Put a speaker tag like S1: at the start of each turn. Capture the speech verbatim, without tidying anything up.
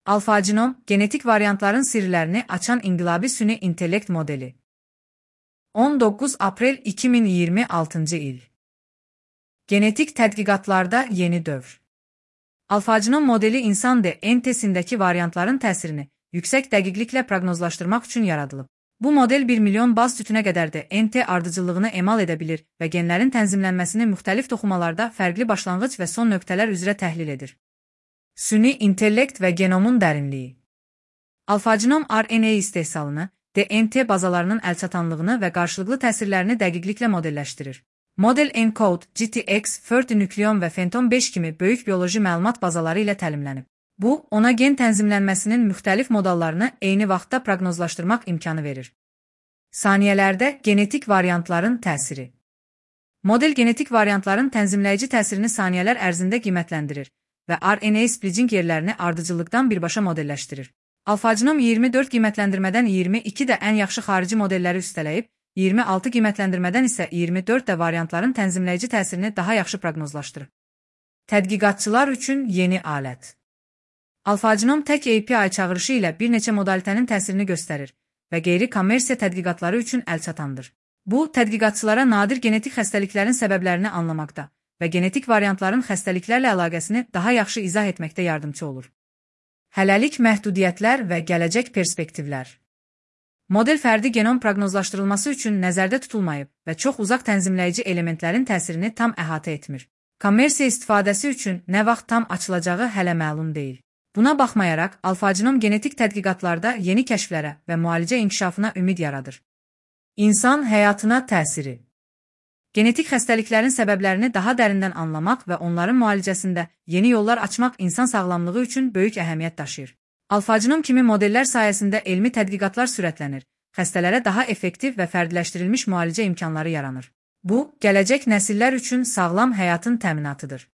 S1: Alfa-Genom, genetik variantların sirlərini açan inqilabi süni intellekt modeli. on doqquz aprel iki min iyirmi altıncı il. Genetik tədqiqatlarda yeni dövr. Alfa-Genom modeli insan D N T-sindəki variantların təsirini yüksək dəqiqliklə proqnozlaşdırmaq üçün yaradılıb. Bu model bir milyon baz sütünə qədər D N T ardıcıllığını emal edə bilir və genlərin tənzimlənməsini müxtəlif toxumalarda fərqli başlanğıc və son nöqtələr üzrə təhlil edir. Süni intellekt və genomun dərinliyi. Alfa-Genom R N A istehsalını, D N T bazalarının əlçatanlığını və qarşılıqlı təsirlərini dəqiqliklə modelləşdirir. Model ENCODE, G T X, Forty nükleon və Fenton beş kimi böyük bioloji məlumat bazaları ilə təlimlənib. Bu, ona gen tənzimlənməsinin müxtəlif modallarını eyni vaxtda proqnozlaşdırmaq imkanı verir. Saniyələrdə genetik variantların təsiri. Model genetik variantların tənzimləyici təsirini saniyələr ərzində qiymətləndirir və R N A splitting yerlərini ardıcıllıqdan birbaşa modelləşdirir. Alfa-Genom iyirmi dörd qiymətləndirmədən iyirmi iki də ən yaxşı xarici modelləri üstələyib, iyirmi altı qiymətləndirmədən isə iyirmi dörd də variantların tənzimləyici təsirini daha yaxşı proqnozlaşdırır. Tədqiqatçılar üçün yeni alət. Alfa-Genom tək A P I çağırışı ilə bir neçə modalitənin təsirini göstərir və qeyri-kommersiya tədqiqatları üçün əlçatandır. Bu, tədqiqatçılara nadir genetik xəstəliklərin səbəblərini anlamaqda və genetik variantların xəstəliklərlə əlaqəsini daha yaxşı izah etməkdə yardımcı olur. Hələlik məhdudiyyətlər və gələcək perspektivlər. Model fərdi genom proqnozlaşdırılması üçün nəzərdə tutulmayıb və çox uzaq tənzimləyici elementlərin təsirini tam əhatə etmir. Kommersiya istifadəsi üçün nə vaxt tam açılacağı hələ məlum deyil. Buna baxmayaraq, Alfa-Genom genetik tədqiqatlarda yeni kəşflərə və müalicə inkişafına ümid yaradır. İnsan həyatına təsiri. Genetik xəstəliklərin səbəblərini daha dərindən anlamaq və onların müalicəsində yeni yollar açmaq insan sağlamlığı üçün böyük əhəmiyyət daşıyır. Alfa-Genom kimi modellər sayəsində elmi tədqiqatlar sürətlənir, xəstələrə daha effektiv və fərdiləşdirilmiş müalicə imkanları yaranır. Bu, gələcək nəsillər üçün sağlam həyatın təminatıdır.